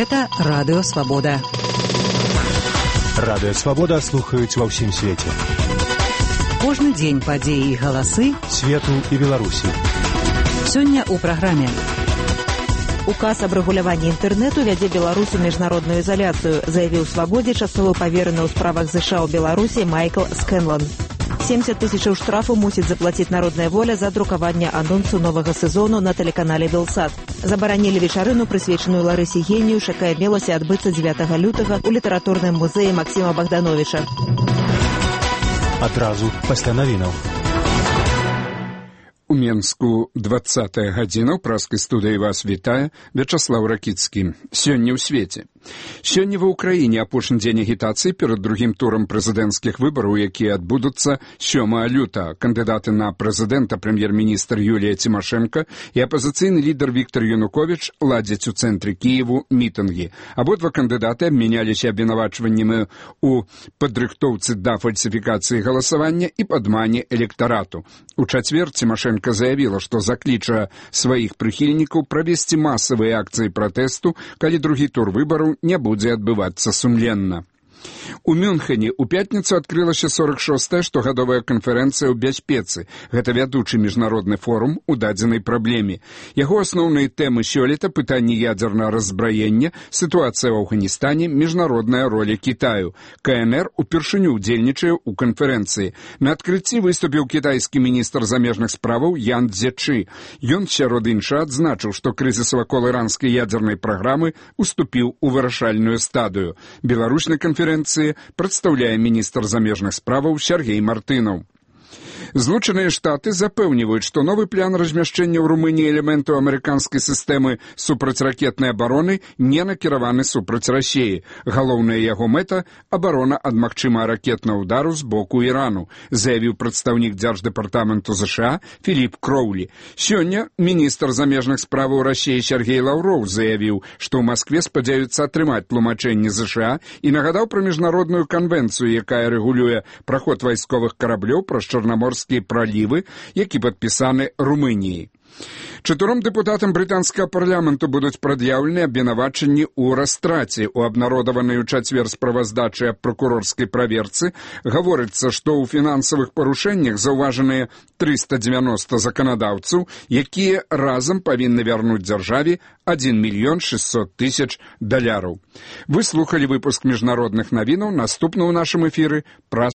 Гэта Радыё Свабода. Радыё Свабода слухаюць ва ўсім свеце. Кожны дзень падзеі і галасы свету і Беларусі. Сёння ў праграме. Указ аб рэгуляванні інтэрнэту вядзе Беларусь у міжнародную ізаляцыю, заявіў Свабодзе часовы павераны ў справах ЗША ў Беларусі Майкл Скэнлан. 70 000 штрафу мусіць заплаціць Народная воля за друкаванне анонсу новага сезону на тэлеканале Белсат. Забаранілі вечарыну, прысвечаную Ларысе Генію, якая мелася адбыцца 9 лютага ў літаратурным музеі Максіма Богдановича. Адразу пасля навінаў. У Менску 20-я гадзіна, ў праскай студыі вас вітае Вячаслаў Ракіцкі. Сёння ў свеце. Сёння ва ўкраіне апошні дзень агітацыі перад другім турам прэзідэнцкіх выбараў, якія адбудуцца 7 лютага. Кандыдаты на прэзідэнта, прэм'ер-міністр Юлія Цімашэнка і апазіцыйны лідар Віктор Януковіч ладзяць у цэнтры Кіеву мітынгі. Абодва кандыдаты абмяняліся абвінавачваннямі ў падрыхтоўцы да фальсіфікацыі галасавання і падмане электарату. У чацвер Цімашэнка заявіла, што закліча сваіх прыхільнікаў правесці масавыя акцыі пратэсту, калі другі тур выбараў не будзе адбывацца сумленна. У Мюнхене ў пятніцу адкрылася 46-я штогадовая канферэнцыя ў бяспецы. Гэта вядучы міжнародны форум у дадзенай праблеме. Яго асноўныя тэмы сёлета — пытанні ядзернага раззбраення, сітуацыя ў Афганістане, міжнародная роля Кітаю. КНР упершыню ўдзельнічае ў канферэнцыі. На адкрыцці выступіў кітайскі міністр замежных справаў Ян Цзечы. Ён, сярод іншага, адзначыў, што крызіс вакол іранскай ядзернай праграмы уступіў у вырашальную стадыю. Беларусь на канферэнцыі прадстаўляе міністр замежных справаў Сергей Мартынаў. Злучаныя Штаты запэўніваюць, што новы план размяшчэння ў Румыніі элементаў амерыканскай сістэмы супрацьракетнай абароны не накіраваны супраць Расіі. Галоўная яго мэта — абарона ад магчымага ракетнага ўдару з боку Ірану, заявіў прадстаўнік Дзярждэпартаменту ЗША Філіп Кроўлі. Сёння міністр замежных справаў Расіі Сергей Лаўроў заявіў, што ў Маскве спадзяюцца атрымаць тлумачэнне ЗША і нагадаў пра міжнародную канвенцыю, якая рэгулюе праход вайсковых караблёў праз Чарнаморскія пралівы, які падпісаны Румыніяй. 4 дэпутатам брытанскага парламенту будуць прад'яўлены абвінавачанні ў растраце. У абнародаванай у чацвер справаздачы аб пракурорскай праверцы гаворыцца, што ў фінансавых парушэннях заўважаныя 390 заканадаўцаў, якія разам павінны вярнуць дзяржаве $1 600 000. Вы слухалі выпуск міжнародных навінаў. Наступны ў нашым эфіры праз